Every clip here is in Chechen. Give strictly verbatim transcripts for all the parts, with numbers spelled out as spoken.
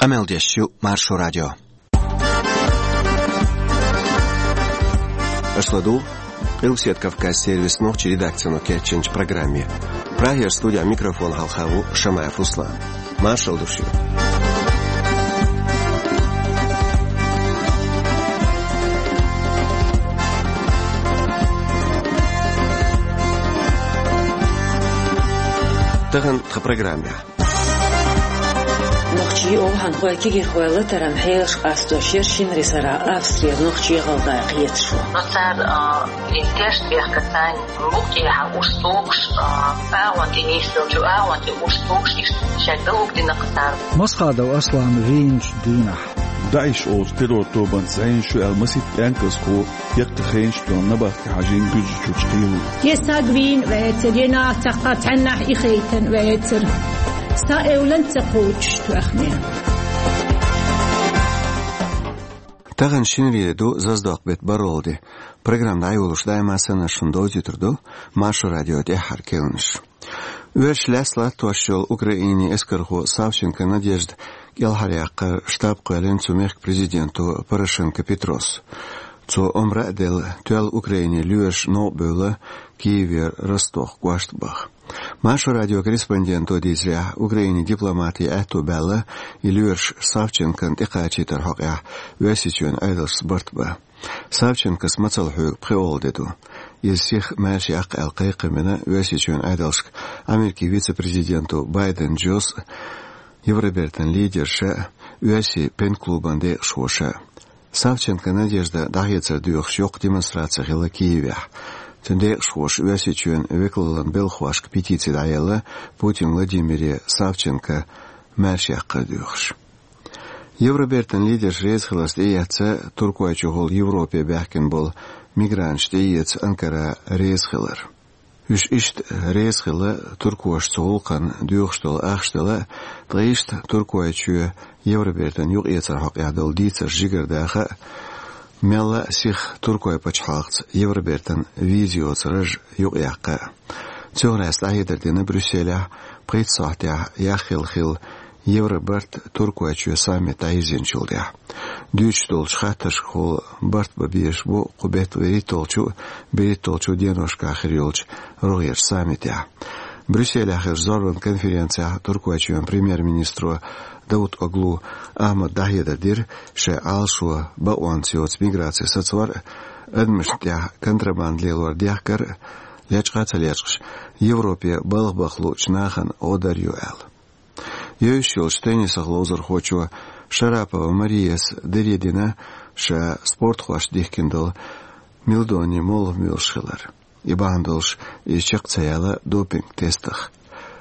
Къамел деш ю Маршо радио. Аша ладугӀу Къилбаседа Кавказан сервисан нохчийн редакцино кечйинчу программе. Прагера студехь микрофон хьалха ву Шамаев Руслан. Маршалла ду шуьга. Тахана тхан программехь. Нохчийн, овхӀанхойн, кегийрхойн латаран хьелаш къастош яра шинарин сарахь Австрера нохчий, гӀалгӀай кхеташо. Но цара, а, и тешнабехкарца букъ тӀехьа уьш тухуш, а, агӀон тӀе нисделча, агӀон тӀе уьш тухуш, иштта шаьш далугдина-кх цара. Масхадов Аслана вийначу дийнахь. ДАИШ олучу террор-тобанца зӀенаш ю аьлла масийтта къаьмнашхо, яккхий хенаш тоьхна набахте хьажийна Гуьржийчуьра кхело. Е саг вийна вецара, е нахаца цхьаннахь и хайтина вецара. Са эвлан ца кхочуш тоьхна. Тахана шинаре ду, Заздокъ-беттан бархӀалгӀа де. Программа дӀайолош даима санна шуна довзуьйтур ду Маршо радион тӀаьххьара керланаш. Оьрсаша лаьцна латтош йолу Украинин эскархо Савченко Надежда кӀелхьаръяккхаран штаб кхоьллина цу мехкан президенто Порошенко Петрос. Цо омра а делла, тоьлла Украинин лоьраша новкъа бевлла Киевера Ростов кӀоштан баха. Маршо радион корреспонденто дийцарехь, Украинин дипломатийн аьтто баьлла и лоьраш Савченкона тӀекхачийтаран хьокъехь Оьрсийчоьнан Ӏедалшца барт бан. Савченкос мацалла хьоьгу пхоьалгӀа де ду. Иза сиха маьрша яккха аьлла кхайкхам бина Оьрсийчоьнан Ӏедалшка Америкин вице-президенто Байден Джос а, Евробертан лидерша а, Оьрсийн пен-клубан декъашхоша а. Савченко Надежда дӀахецар доьхуш йоккха демонстраци хилла Киевехь. Цуьнан декъашхоша Оьрсийчоьнан векалаллин белхахошка петици дӀаелла, Путин Владимире Савченко маьрша яккхар доьхуш. Евробертан лидерш реза хиларца тӀеэцна Туркойчухула Европе баьхкина болу мигранташ тӀеэца Анкара реза хилар. Уьш иштта реза хилла туркоша цу гӀуллакхна доьхуш долу ахча дала а, ткъа иштта Туркойчоь Евробертана юкъаэцаран хьокъехь долу дийцарш жигардаха а, мелла а сиха Туркойн пачхьалкхаца Евробертана виза йоцу раж юкъаяккха а. Цунах лаьцна дӀахьедар дина Брюсселехь пхийтта сохьтехь яхъелла хилла Евробарт Туркойчоь саммит дӀайирзинчул тӀаьхьа. Дуьйцуш долчу хаттаршкахула барт бан безаш бу кху беттан вуьрхӀитталгӀачу а, берхӀитталгӀачу а деношкахь хир йолчу рогӀерчу саммитехь. Брюсселехь хиллачу зорбанан конференцехь Туркойчоьнан премьер-министро Давутоглу Ахьмада дӀахьедар дира, шайн Ӏалашо бакъонца йоцу миграци сацор а, адамашна тӀехь контрабанда лелор дехкар а, лечкъа а ца лечкъаш, Европе балха баха луучу нахана гӀо дар ю аьлла. Евзаш йолчу теннисах ловзархочо Шарапова Марияс даре дина ша спортхошна дихкина долу мелдонин молха муьйлуш хилар. И бахьана долуш иза чекх ца яьлла допинг-тестах.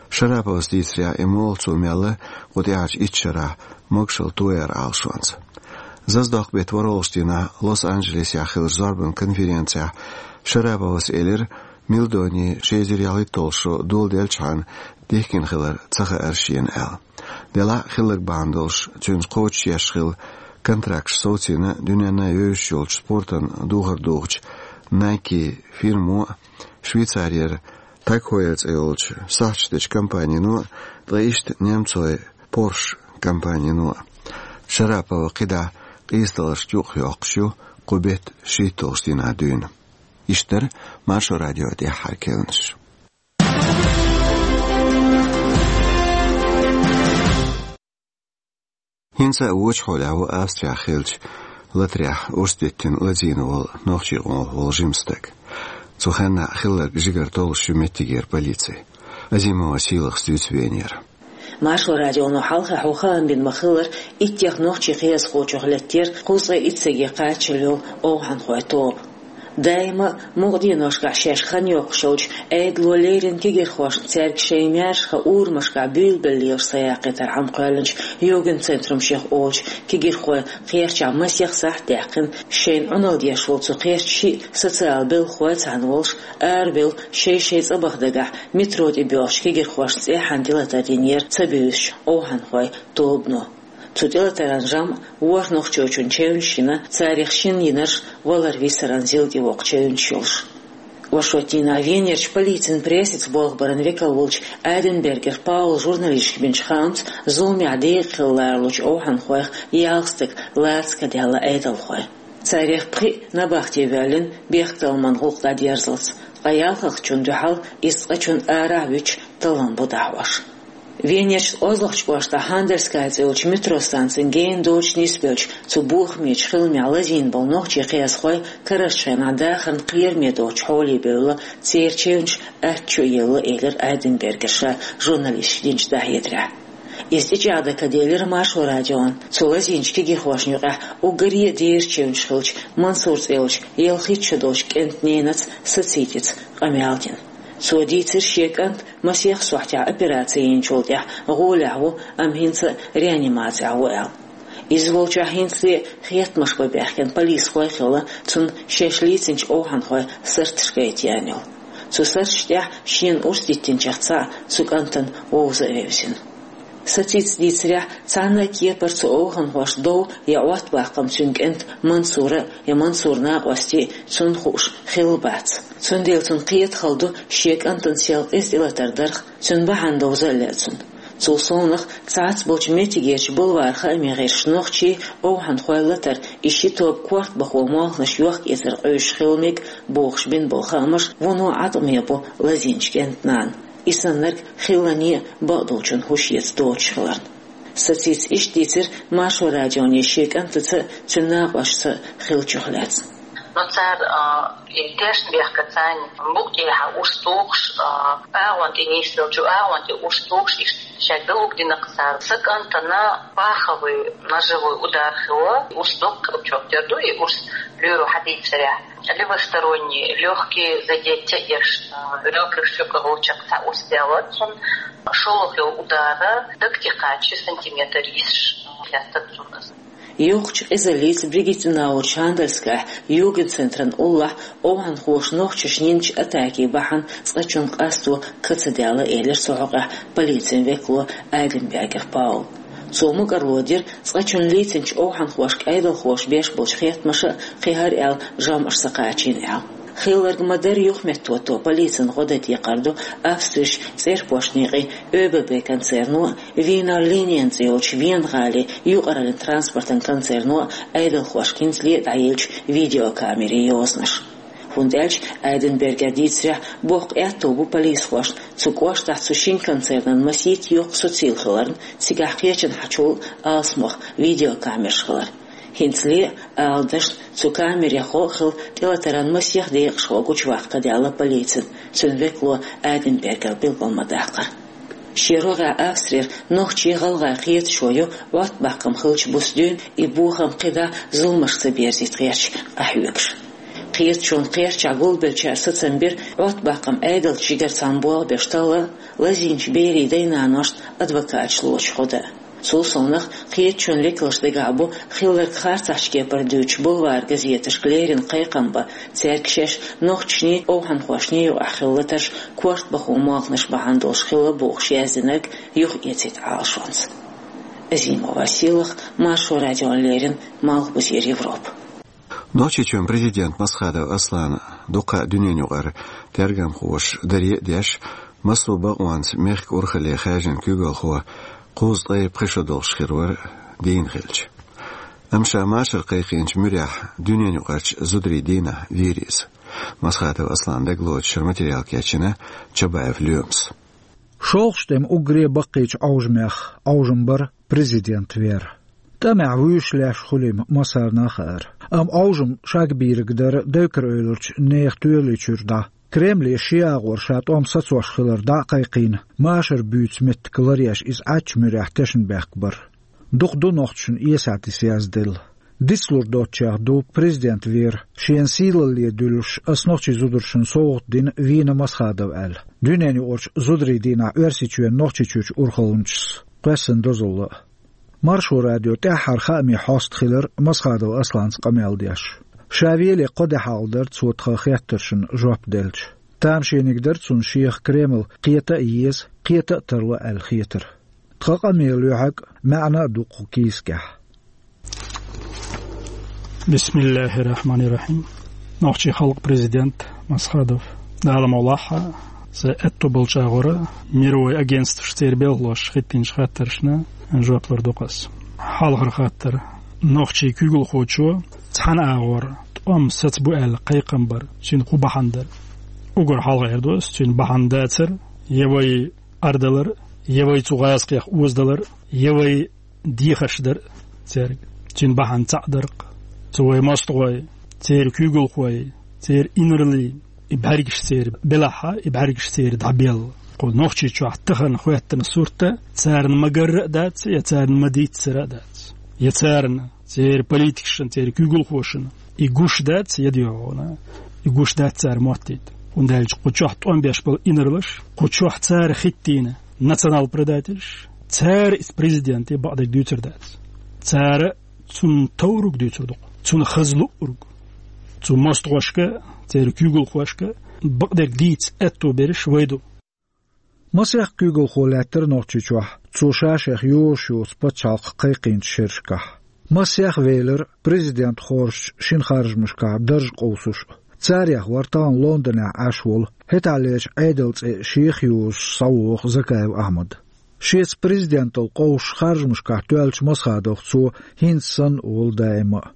Шараповас дийцарехь, и молха цо мелла кху тӀаьхьарчу итт шарахь могушалла тояран Ӏалашонца. Заздокъ-беттан ворхӀалгӀачу дийнахь Лос-Анджелесехь хиллачу зорбанан конференцехь Шараповас элира, мелдони ши эзар ялхитталгӀа шо доладелчхьана дихкина хилар ца хаьара шена аьлла. Делахь а хилларг бахьана долуш, цуьнца кхочушъеш хилла контракташ совцийна дуьненна а евзаш йолчу спортан духар духучу Nike фирмо а, Швейцарера Тагхойер цӀе йолчу сахьташ дечу компанино а, ткъа иштта немцойн Porsche компанино а. Шарапова кхидӀа къийсадаларшна юкъахь йоккхуш ю кху беттан шийтталгӀачу дийнахь дуьйна. Иштта дара Маршо радион тӀаьххьара керланаш. ХӀинца а вочу хьолехь ву Австрехь хиллачу латарехь урс диттина лазийна волу нохчийн къомах волу жима стаг. Цу хенахь хилларг жигара толлуш ю меттигера полици. Азимова Сийлахас дуьйцу венера. Маршо радионо хьалха хьо хаам бина ма-хиллара, иттех нохчийн кхиазхочух лаьттара кхузткъе итт стаге кхаччалла йолу овхӀанхойн тоба. Даима а мукъа деношкахь шаьш хан йоккхуш йолчу Ӏедало леррина кегирхошна цаьрга шайн маьршаха урамашкахь буьйлабелла лелаш са яккхийтар хьаькъал кхоьллинчу Югенцентрумех олучу кегирхойн кхерчахь масех сахьт даьккхина. Шайна Ӏуналла деш волу цу кхерчан шиъ социалан белхахой цхьаьна волуш, арабевлла шай-шайн цӀа баха дагахь метро тӀе боьлхучу кегирхошна цӀеххьана тӀелатар динера ца буьйсучу овхӀанхойн тобано. Цу тӀелатаран жамӀ ворхӀ нохчочунна чевнаш йина, царах шинна йинарш валар-висаран зил тӀе воккху чевнаш йолуш. Оршотдийнахьа Венерчу полицин прессица болх баран векал волчу Айденбергер Паула журналисташка бинчу хаамца, зуламехь декъа хила лоручу овхӀанхойх ялх стаг лаца кадаьлла Ӏедалхой. Царех пхиъ набахте воьллина бехктакхаман гӀуллакх дӀадерзалц, ткъа ялхалгӀачунна дуьхьал иза цкъачунна арахь а вуьтуш таллам бу дӀахьош. Венерчу кӀеззигчу кӀоштахь Хандельская цӀе йолчу метро станцин гена доцуш нисбеллачу цу бохамечу хиламехь лазийна болу нохчийн кхиазхой карарчу хенахь дахарна кхераме доцучу хьоле бевлла, церан чевнаш атта чу а елла, элира Айденбергера ша журналисташка динчу дӀахьедарехь. Иза тӀечӀагӀдан ка делира Маршо радион. Цу лазийначу кегийрхошна юкъахь уггаре а дера чевнаш хиллачу Мансур цӀе йолчу ялхитта шо долчу кӀентан ненаца сацийти къамел дина. Цо дийцира шен кӀант масех сохьтехь операци йинчул тӀаьхьа гӀолехь ву, амма хӀинца а реанимацехь ву аьлла. Иза волчохь хӀинцале а хеттамаш бан баьхкина полисхой а хилла, цунна шаьш лийцинчу овхӀанхойн сарташ гайта яьнна йолу. Цу сарташна тӀехь шена урс диттинчех цхьаъ цу кӀантана вовза а вевзина. Сацийта дийцарехь, цхьана а кепара цу овхӀанхошна дов я Ӏоттабаккхам цуьнан кӀентан Мансуран а, я Мансуран накъостийн а цунна хууш хилла бац. Цундела цунна кхета хала ду шен кӀантана сел къиза тӀелатар дарх, цуьнан бахьана довза а лаьа цунна. Цул совнаха, цхьацца болчу меттигерчу бульваран хаамийн гӀирсаша нохчий, овхӀанхой латар, и ши тоба корта бахо молханаш йохка-эцар къуьйсуш хила мега бохуш бина болу хаамаш вуно Ӏаткъаме бу лазийначу кӀентан нана. И саннарг хиллане а бакъдолчун хӀуш эца доцуш хиларна. Сацийта иштта дийцира Маршо радионе шен кӀантаца а, цуьнан накъостаца а хиллачух лаьцна. Но цара, а, и тешна бехка царна, букъ тӀехьа урс тухуш, а, агӀон тӀе нисделчу агӀон тӀе урс тухуш, иштта шаьш далуг дина-кх цара. Сан кӀантана паховой, ножевой удар хилла, урс доккха чохь тера ду, и урс лоьро хьадийцарехь. Левосторонние лёгкие задеть еш, а, ребрышка гӀулчакх цхьа урс даьлла цунна, шолгӀа удара даг тӀе кхача сантиметр йисаш, а, хестар цунна. Йоккхачу къизаллица Бригиттенауэрчу Хандельскахь йогин центран уллохь овхӀанхоша нохчашна йинчу атакийн бахьана цкъачунна къасто ка ца даьлла, элира цу хьокъехь полицин векало Айденбергер Паула. Цо мукӀарло дира, цкъачунна лийцинчу овхӀанхошка Ӏедалхоша беш болчу хеттамаша а кхин хӀара аьлла жамӀаш ца кхачийна аьлла. Хилларг ма-дарра юхаметтахӀотто полицин гӀо дан декхар ду Австрерчу цӀерпошт некъийн ОББ концерно а, Вийнер Линен цӀе йолчу Вена-гӀалин юкъараллин транспортан концерно а Ӏедалхошка хӀинцале а дӀаеллачу видеокамерийн йозанаш. ХӀунда аьлча Айденбергера дийцарехь, боккха аьтто бу полисхошна цу кӀоштахь цу шина концернан масийтта йоккха сацийла хиларна, цигахь кхечанхьачул а алсамох видеокамераш хилар. ХӀинцале а, ала дашна, цу камерех гӀо а хилла, тӀелатаран масех декъашхо гучуваккха ка даьлла полицина, цуьнан векало Айденбергера билгал ма-даккхара. Шен рогӀехь Австрера нохчий, гӀалгӀай кхеташо ю Ӏоттабаккхам хиллачу буса дуьйна и бохам кхидӀа зуламашка ца берзийта гӀерташ къахьоьгуш. Кхеташонан кхерчахь гулбеллачара сацам бира Ӏоттабаккхам Ӏедалца жигара цхьаьна болх беш талла а, лазийначу берийн дай-наношна адвокаташ лоцуш гӀо дан а. Цул совнаха, кхеташонан векалшна дагахь бу хилларг харцахьчу кепара дуьйцуш бульваран газеташка леррина кхайкхам бан, цаьрга шаьш нохчашний, овхӀанхошний юкъахь хилла латарш корта бахо молханаш бахьана долуш хилла бохуш яздинарг юхаэцийта Ӏалашонца. Азимова Сийлаха, Маршо радиона леррина, Малхбузера Европа. Нохчийчоьнан президент Масхадов Аслана дукха дуьненаюкъара тергамхоша даре а деш, массо а бакъонца мехкан урхалле хаьржина куьйгалхо кхузткъе пхи шо долуш хир вара дийна хилча. Амма ша машар кхайкхийначу муьрехь дуьненаюкъарчу зударийн дийнахь вийра иза. Масхадов Асланан дагалоцуш шуьра материал кечйина Чабаев Лоьмас. ШолгӀачу тӀеман уггаре баккхийчу Ӏовжамех Ӏовжам бара президент вер. ТӀамехь вуьйш леш хуьлийла массарна а хаьара. Амма Ӏовжам шагбийриг дара девкар-эвларчу нехан тоьлаллин чуьра дӀа. Кремле шен агӀор ша тӀом сацош хилар дӀа а кхайкхийна, машар буьйцу меттиг ларъеш иза Ӏаччу муьрехь тешнабехк бара. Дукха ду нохчашна эсаьтис язделла. Дицлур доцчех ду президент вер, шена сийлалле дуьллуш, ас нохчийн зударшна совгӀат дина вийна Масхадов аьлла, дуьненаюкъарчу зударийн дийнахь Оьрсийчоьнан Нохчийчуьрчу урхалланчас кхоьссина дозалла а. Маршо радион тӀаьххьара хаамийн хьоста хилира Масхадов Асланца къамел деш. Ша веле кхо де хьалха дара цо тхан хеттаршна жоп делча. Тамашийна дара цунна шех Кремль кхета а еза, кхета а тарло аьлла хетар. Тхан къамелан лоьхьа а, маьӀна а ду кху кийсакехь. Бисмиллахир-рахманир-рахим. Нохчийн халкъан президент Масхадов. Дала мукъ лахь, са аьтту болчагӀора мировой агентстваш церан белхалоша хӀиттийначу хаттаршна жоп лур ду-кх ас. Хьалхара хаттар. Нохчийн куьйгалхочо цхьана агӀор тӀом сацабу аьлла кхайкхам бар, цуьнан хӀун бахьана дара? Уггар хьалха эр ду ас, цуьнан бахьана дацар, я вай Ӏардалар, я вай цу гӀазкхех озадалар, я вай дехаш дар цаьрга. Цуьнан бахьана цхьаъ дар-кх. Цу вай мостагӀой, церан куьйгалхой, церан инарла, и бӀаьргаш церан белахь, и бӀаьргаш церан дӀабелла. Кху Нохчийчохь тахана хӀоьттина сурт царна ма-гарра а дац, я царна ма-дийццара а дац. Я царна, церан политикашна, церан куьйгалхошна и гуш дац, я дегӀана, и гуш дац цара моттийта. ХӀунда аьлча кху чохь тӀом беш болу инарлаш, кху чохь цара хӀиттийна национал-предательш, цара иза президенте бакъдерг дуьйцур дац. Цара цунна товрург дуьйцур ду-кх, цунна хаза луург. Цу мостагӀошка, церан куьйгалхошка бакъдерг дийца аьтто берш вай ду. Масех куьйгалхо лаьттара Нохчийчохь, цо ша-шех йозуш йоцу пачхьалкх кхайкхийначу шерашкахь. Масех велира президент хоржучу шина харжамашкахь дарж къовсуш а. Царех вара тахана Лондонехь Ӏаш волу, хӀетахьлерчу Ӏедалан цӀе шех йозуш схьавогӀу Закаев Ахьмад. Шеца президенталла къовсуш харжамашкахь тоьллачу Масхадовх цо хӀинца санна а волу даима а.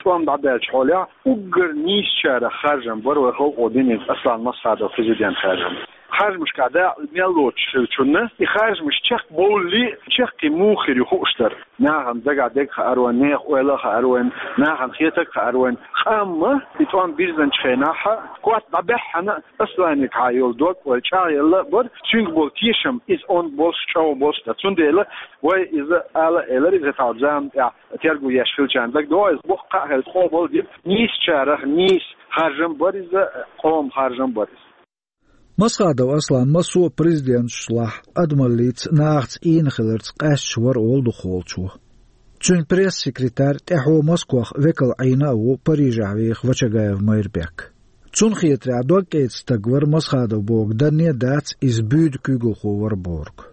ТӀом дӀадаьллачу хьолехь уггар нийсачарах харжам бара вай халкъо динарг Аслан Масхадов президент харжам. Харжамашкахь дакъа мел лоцуш хиллачунна, и харжамаш чекхбовллий, чаккхе муха хир ю хууш дара. Нахана дагахь дерг хаар вайн, нехан ойла а хаар вайн, нахана хетарг а хаар вайн. Амма и тӀом бирзинчу хенахь, котта дӀабаьххьана, Асланегахьа йолу дог вай чӀагӀъелла а бара, цуьнга болу тешам, иза онда болуш, чӀогӀа болуш дара. Цундела вай иза ала а элира, иза тахана зама тӀехь терго еш хилчарна дагадогӀу, иза боккха а хилла къобал дира, нийсачарах нийса харжам бара иза, къоман харжам бара иза. Масхадов Аслан массо а президенташлахь адамаллица, нахаца ийна хиларца къаьсташ вара олу дукхахволчо. Цуьнан пресс-секретарь тӀаьхьо Москвахь векал Ӏийна а ву Парижехь веха Вачагаев Майрбек. Цунна хетарехь, догкӀеда стаг вара Масхадов бохург данне а дац, иза буьйда куьйгалхо вара бохург.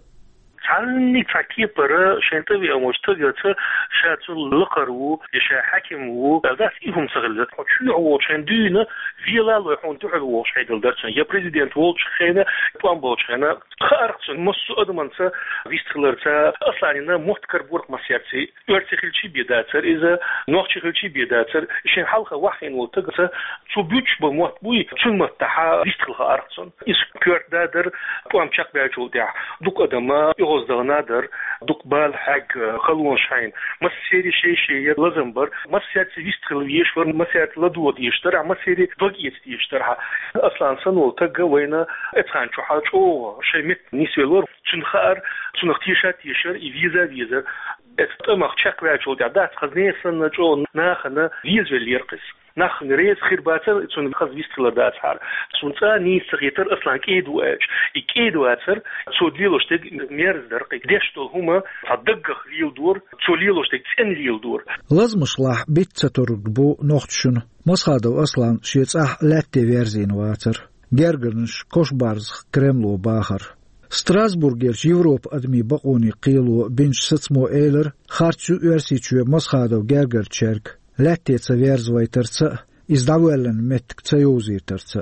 Цхьаннех цхьа кепара шайн тӀе веана волчу стагаца ша цунна лакхара ву, я ша хьаькам ву аьлла дац, и хӀума ца хилла. Хьо чоьхьа волчу хенахь дуьйна, велалой хьуна дуьхьал вогӀуш хьедала дара цунна. Я президент волчу хенахь, тӀом болчу хенахь. Хаарх цунна массо а адамца вистхиларца, Асланина мотт карабора-кх массаьрций. Оьрси хилчий бен дацара иза, нохчи хилчий бен дацара, шен хьалха ваххийна волу стагаца цо буьйцуш болу мотт буй, цуьнан маттахь вистхила хаарх цунна. Иза коьрта да дара, тӀом чекхбаьллачул тӀаьхьа дукха адам оьгӀаздахана дара, дукха бала хьегна, халонаш хьийна. Массеран шен-шен яра лазам бар, массаьрца вистхила везаш вара, массаьрца ладогӀа дезаш дара, массеран дог эца дезаш дара. Аслан санна волу стаг вайна эцхьан чохь чӀогӀа шайн метта нисвелла вара. Цунна хаьара, цунах теша а тешара, и веза а везара. Эцу тӀамах чекхваьллачул тӀаьхьа дац, хаза нехан санна чӀогӀа нахана везавеллера-кх иза. Нах реза хир бацара, цунна хаза вистхилар дацахьара. Цунна цкъа а нийса ца хетара Аслан кӀеда ву аьлча. И кӀеда вацара, цо лелош дерг мерза дара-кх. Деш долу хӀума цхьа даггах леладора, цо лелош дерг цӀена леладора. Лазамашлахь битта ца тург бу нохчашна Масхадов Аслан шен цӀахь лаьтте верзийна вацар. Гергарнаш Кошбарзах Кремло бахар. Страсбургерчу Европан адамийн бакъонийн кхело бинчу сацамо элира, харц ю Оьрсийчоь Масхадов гергарчаьрга лаьтте ца верзавайтарца а, иза дӀавоьллина меттиг ца йовзийтарца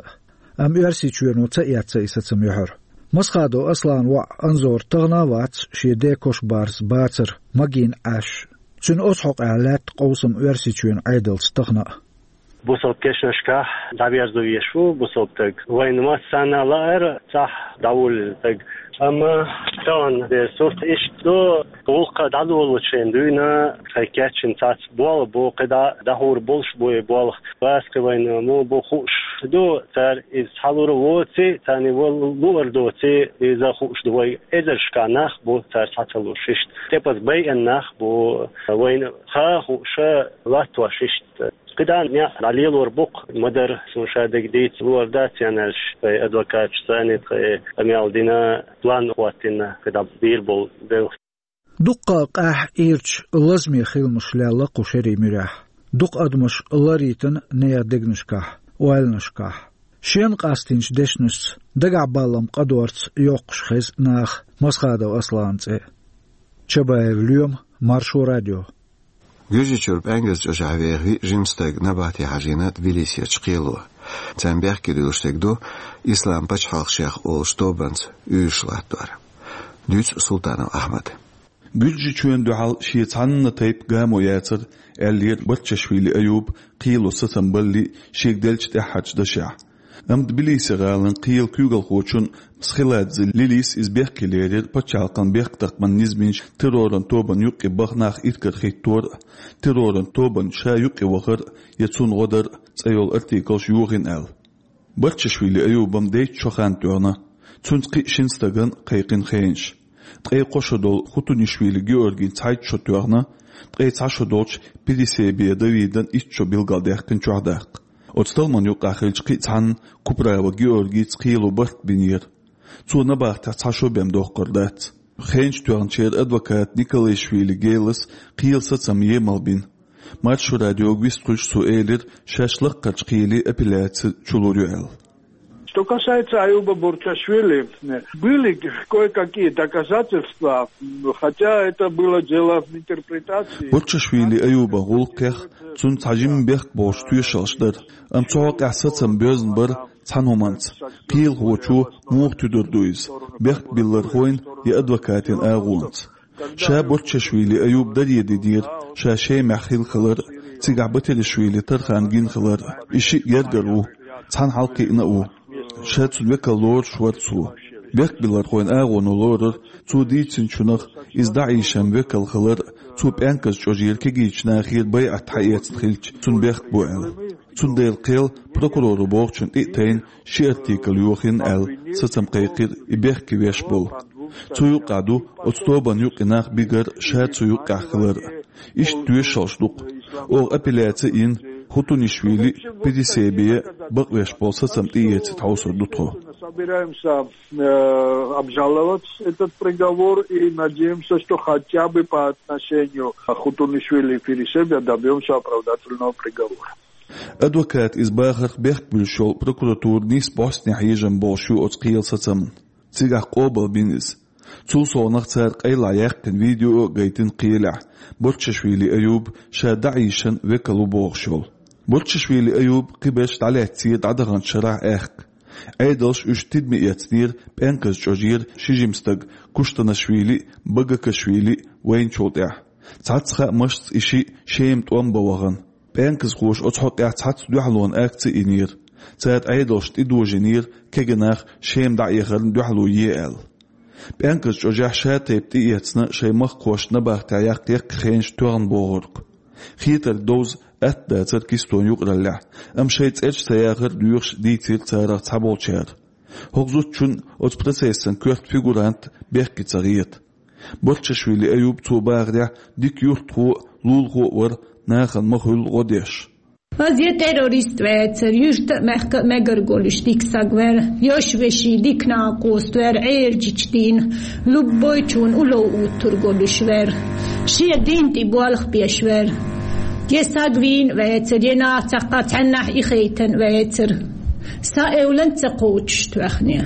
а. Амма Оьрсийчоьно ца эцна и сацам юьхьар. Масхадов Асланан воӀ Анзор тахана а вац шен ден Кошбарз бацар, магийна Ӏаш. Цуьнан оцу хьокъехь лаьтта къовсам Оьрсийчоьнан Ӏедалца тахана а. Бусалба кешнашкахь дӀаверзо везаш ву бусалба стаг. Вайна массарна а лаьара цхьаъ дӀавуллина стаг. Амма тахана дерг сурт иштта ду, гӀуллакх дӀадолучу хенахь дуьйна, тхайн кечйина цхьацца болх бу, кхидӀа дӀахьур болуш бу и болх. Васкхи вайна муха бу хууш ду, цара иза схьалур а воций, царна вала луур доций, иза хууш ду вай. Эзаршкахь нах бу цара схьа ца луш иштта. ТӀепаза байина нах бу, вайна хаа хууш латтош иштта. КхидӀа некъ дӀалелор бу-кх, ма-дарра, суна ша дерг дийца луур дац аьлла, вай адвокаташа санна тхайн къамел дина, план хӀоттийна, кхидӀа бийр болу белхаш. Дуккха а къаьхьа ирча лазаме хиламаш лелла кху шерийн муьрехь. Дукха адамаш ларйитина нехан дегнашкахь, ойланашкахь. Шена къастийначу дешнашца, дагахь баллам къадорца йоккхуш хеза наха Масхадов Асланан цӀе. Чабаев Лоьма, Маршо радио. Гуьржийчуьра ПӀаьнгаза чӀожахь веха виъ жима стаг набатехь хьажийна Тбилисерчу кхело. Царна бехке дуьллуш стаг ду «Ислам пачхьалкх шех» олуш тобанца уьйраш латтор. Дуьйцу Султанов Ахьмада. Гуьржичоьнна дуьхьал шен цхьанна тайпа гамо яцара, аьллера Барчашвили Аюба кхело сацам балале шега деллачу тӀаьххьарчу дашехь. Амма Тбилиси гӀалин кхелан куьйгалхочун Схиладзе Лилис иза бехке лерира пачхьалкхан бехктакхаман низамаш терроран тобанна юккъе баха нах иракарахӀиттор а, терроран тобанна ша юккъе вахар а я цунна гӀо дар а цӀе йолу артиклаш йохийна аьлла. Барчашвили Аюбан дейтта шо хан тоьхна, цуьнца кхин а шина стагана кхайкхина хенаш. Ткъе кхо шо долу Хутунишвили Георгин цхьайтта шо тоьхна, ткъе цхьа шо долчу Пересебия Давидан итт шо билгалдаьккхина чохь даккха. Оцу талламан юккъехь хиллачу кхин а цхьанна Куправа Георгица кхело барт бинера. Цо набахтехь цхьа шо бен доккхур дац. Хенаш тоьхначеран адвоката Николаишвили Гелас кхелан сацам емал бина. Маршо радиога вистхуьлуш цо элира, шаьш лаккхарчу кхеле апелляци чулур ю аьлла. Что касается Аюба Бурчашвили, были кое-какие доказательства, хотя это было дело в интерпретации. Барчашвили Аюбан гӀуллакхех цунна цхьа жимма бехк болуш тоьшаллаш дара, амма цу хьокъехь сацам боьзна бара цхьана хӀуманца. Кхелахочо муха туьдур ду иза, бехк биллархойн я адвокатийн агӀонца. Ша Барчашвили Аюба даре динера ша Шемахь хилла хилар а, цигахь Батиришвили Тархан гина хилар а. И шиъ гергара ву, цхьаьна хьалакхиъна а ву. Ша цуьнан векал лоруш вара цо. Бехк биллархойн агӀоно лорара цо дийцинчунах, иза ДАИШан векал хилар а, цо ПӀенказ чӀожера кегийчу нахера байӀат хьаэцна хилча, цунна бехк бу аьлла. Цундела кхел прокуроро бохучунна тӀе а тайна ши артикл йохийна аьлла, сацам кхайкхира и бехке веш болу. Цу юккъехь ду оцу тобанна юккъе нах бигар а, ша цу юккъехь хилар а. Иштта тоьшаллаш ду-кх. Оха апелляци а йина, Хутунишвили а, Пересебия а бакъвеш болу сацам тӀеэцийта хьовсур ду тхо. Собираемся, э, обжаловать этот приговор и надеемся, что хотя бы по отношению к Хутунишвили и Пересебия добьёмся оправдательного приговора. Адвоката иза бахарх бехк буьллуш йолу прокуратура нийса бӀостанехьа хьежам болуш ю оцу кхелан сацамна. Цигахь къобалбина иза. Цул совнаха цара къайлаха яьккхина видео а гайтина кхелехь, Барчашвили Аюба ша ДАИШан векал ву бохуш йолу. Барчашвили Аюба кхиберш дӀалаьцнера дӀадаханчу шарахь аьхка. Ӏедалша уьш тидаме эцнера ПӀенказ чӀожера ши жима стаг Куштанашвили а, Багакашвили а вайначул тӀаьхьа. Цхьацца хаамашца и шиъ Шема тӀом бан вахана. ПӀенказхоша оцу хьокъехь цхьацца дуьхьалонан акци а йинера. Цара Ӏедалшна тӀедожийнера кегий нах Шема дӀаэхарна дуьхьало е аьлла. ПӀенказ чӀожехь ша тайпа тӀеэцна шайн махкахошна набахтехь яккха яккхий хенаш тоьхна бохург. Хетарг довза атта дацара кистон юкъараллехь, амма шайн цӀераш ца яхар а доьхуш дийцира царах цхьаболчара. ХӀокху зудчунна оцу процессан коьрта фигурант бехке ца хета. Барчашвили Аюба, цо бахарехь, дика юьртахо а, лулахо а вара, нахана ма хуьллу гӀо деш. Аз я террорист ваьцар, юьрта а, мехка а мегар голуш дика саг вара, йош-вешин дика накъост вара, Ӏержичу дийна, любойчунна улов уттур голуш вара, шен дин тӀе болх беш вара. Я саг вийна ваьцар, я нах цхьаккха цхьаннахь и хайтан ваьцар. Сан эвлан ца кхочуш тоьхне.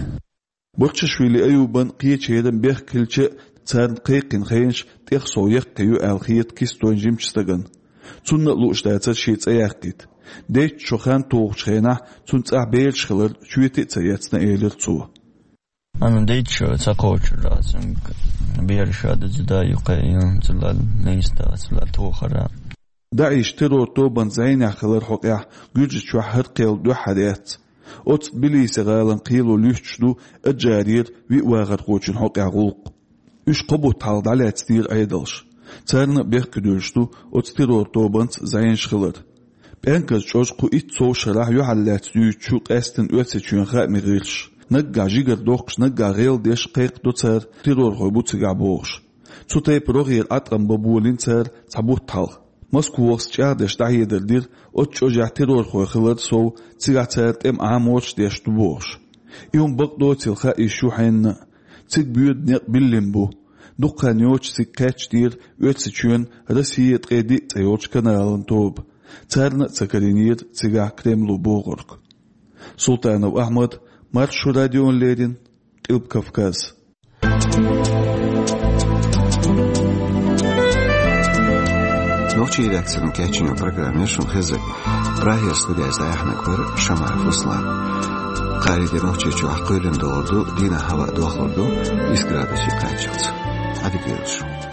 Барчашвили Аюбан кхечеран бехк хилча а, царна кхайкхина хенаш тӀех сов яккхий ю аьлла хета кистойн жимачу стагана. Цунна а лууш дацара шен цӀе яккхийта. Дейтта шо хан тухучу хенахь цуьнан цӀахь бераш хилар чоьте а ца эцна, элира цо. Ана дейтта шо ца кхочур дац, бераш а деза да юккъе, цулал нейста, цулал тохара. ДАИШ террор тобанан зӀенехь хилар хьокъехь Гуьржичохь хӀара кхел дуьххьара яц. Оцу Тбилиси гӀалин кхело луьстуш ду Аджарера виъ вахархочун хьокъехь гӀуллакх. Уьш кхо бутт хьалха дӀалаьцнера Ӏедалша. Царна а бехке дуьллуш ду оцу террор тобанца зӀенаш хилар. ПӀенказ чӀожа кху итт сов шарахь юьхьарлаьцна юьйцуш ю къаьсттина Оьрсийчоьнан хаамийн гӀирсаш. Наггахь жигара доккхуш, наггахь гӀелдеш кхайкхадо цара, террорхой бу цигахь бохуш. Цу тайпа рогӀера Ӏаткъам бан болийна цара цхьа бутт хьалха. Москвахоша чӀагӀдеш дӀахьедар дира, оцу чӀожехь террорхой хилар сов, цигахь цара тӀеман Ӏаморш деш ду бохуш. И хӀума бакъдоцийла хаийш ю хьенна а. Цига боьду некъ биллина бу. Дукха хан йоцуш цига кхаьчнера Оьрсийчоьнан «Россия ткъе диъ» цӀе йолчу каналан тоба. Царна а ца карийнера цигахь Кремло бохург. Султанов Ахьмад, Маршо радиона леррина, Къилба Кавказ. Нохчийн редакцин кечйина программа шуна хезар. Прагера студехь дӀаяьхьнарг вара Шамаев Руслан. Кхаарин де Нохчийчохь кхоьлина догӀур ду, дийнахь хӀаваъ дохлур ду, исс градусе кхаччалц. Ӏадика йойла шун.